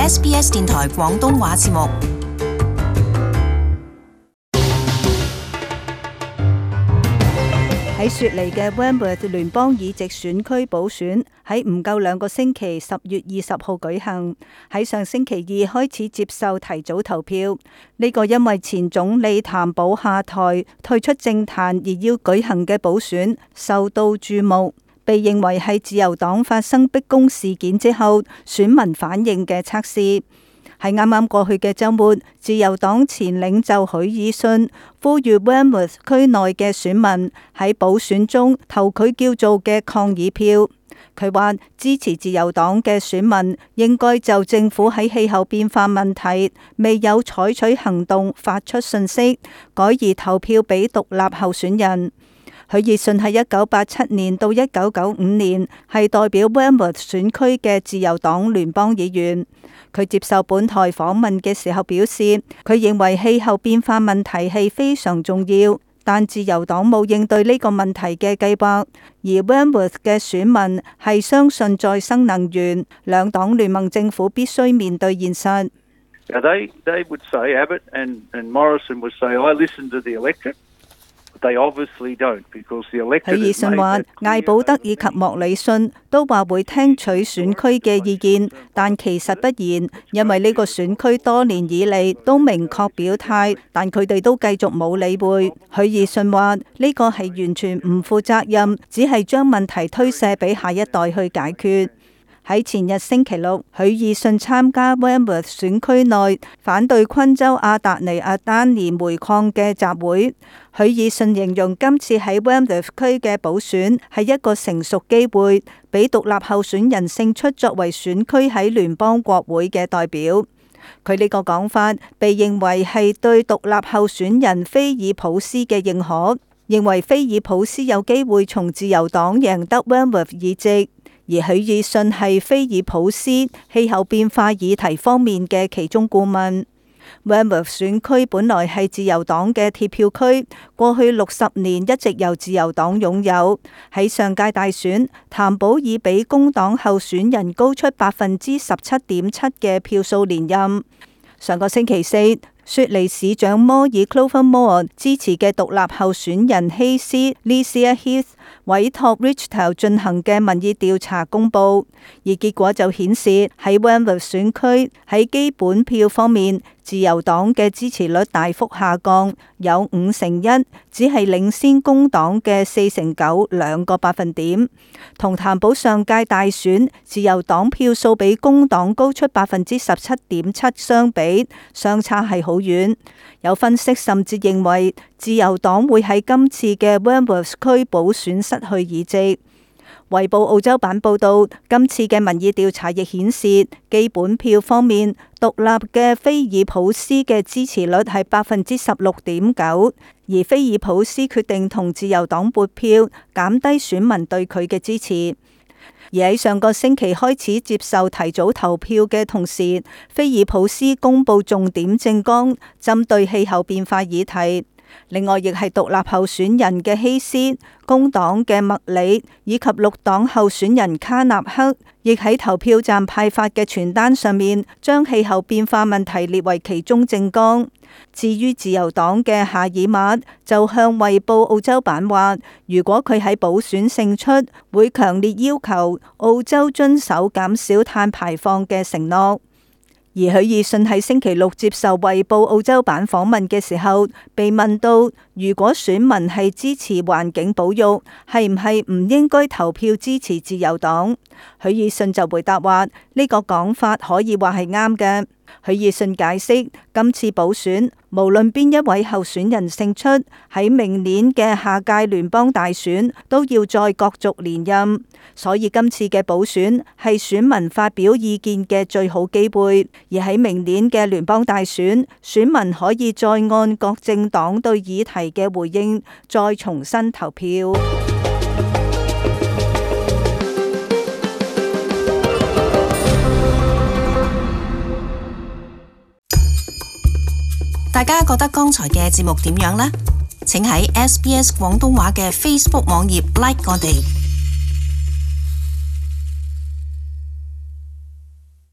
SBS 電台廣東話節目。喺雪梨嘅 Wentworth 聯邦議席選區補選喺唔夠2個星期10月20號舉行，喺上星期2開始接受提早投票。呢個因為前總理譚寶下台退出政壇而要舉行嘅補選受到注目，被認為係自由黨發生逼宮事件之後選民反應嘅測試。喺啱啱過去嘅週末，自由黨前領袖許爾遜呼籲 Wentworth 區內嘅選民喺補選中投佢叫做嘅抗議票。佢話支持自由黨嘅選民應該就政府喺氣候變化問題未有採取行動發出訊息，改而投票俾獨立候選人。許爾遜喺1987年到1995年係代表 Wentworth 選區嘅自由黨聯邦議員。佢接受本台訪問嘅時候表示，佢認為氣候變化問題係非常重要，但自由黨冇應對呢個問題嘅計劃。而 Wentworth 嘅選民係相信再生能源，兩黨聯盟政府必須面對現實。They would say, Abbott and Morrison would say, I listen to the electorate. They obviously don't, because the electorate. 許爾遜話，艾保德以及莫里遜都話會聽取選區嘅意見，但其實不然，因為呢個選區多年以嚟都明確表態，但佢哋都繼續冇理會。許爾遜話呢個係完全唔負責任，只係將問題推卸俾下一代去解決。喺前日星期6，許爾遜參加 Wentworth 選區內反對昆州阿達尼亞丹尼煤礦嘅集會。許爾遜形容今次喺 Wentworth 區嘅補選係一個成熟機會，俾獨立候選人勝出作為選區喺聯邦國會嘅代表。佢呢個講法被認為係對獨立候選人菲爾普斯嘅認可，認為菲爾普斯有機會從自由黨贏得 Wentworth 議席。而許爾遜係菲爾普斯氣候變化議題方面嘅其中顧問。Wentworth 選區本來係自由黨嘅鐵票區，過去60年一直由自由黨擁有。喺上屆大選，譚寶以比工黨候選人高出17.7%嘅票數連任。上個星期4，雪梨市長摩爾 Clover Moore 支持嘅獨立候選人希斯 Licia Heath 委託 Richtel 進行嘅民意調查公佈，而結果就顯示喺 Wentworth 選區喺基本票方面，自由黨嘅支持率大幅下降，有51%，只係領先工黨嘅49%個百分點。同譚寶上屆大選自由黨票數比工黨高出17.7%相比，相差係好遠。有分析甚至認為自由黨會喺今次嘅 Wentworth 區補選失去議席。衛報澳洲版報道，今次嘅民意調查亦顯示，基本票方面，獨立嘅菲爾普斯嘅支持率係16.9%，而菲爾普斯決定同自由黨撥票，減低選民對佢嘅支持。而喺上個星期開始接受提早投票嘅同時，菲爾普斯公布重點政綱，針對氣候變化議題。另外，亦係獨立候選人嘅希斯、工黨嘅麥里以及綠黨候選人卡納克，亦喺投票站派發嘅傳單上面，將氣候變化問題列為其中政綱。至於自由黨嘅夏爾馬，就向衛報澳洲版話，如果佢喺補選勝出，會強烈要求澳洲遵守減少碳排放嘅承諾。而許爾遜喺星期6接受衛報澳洲版訪問嘅時候，被問到如果選民係支持環境保育，係唔係唔應該投票支持自由黨？許爾遜就回答話，呢個講法可以話係啱嘅。許爾遜解釋，今次補選無論邊一位候選人勝出，喺明年嘅下屆聯邦大選都要再角逐連任，所以今次嘅補選係選民發表意見嘅最好機會。而喺明年嘅聯邦大選，選民可以再按各政黨對議題嘅回應，再重新投票。大家覺得剛才嘅節目點樣呢？請喺SBS 廣東話嘅 Facebook 網頁 like 我哋。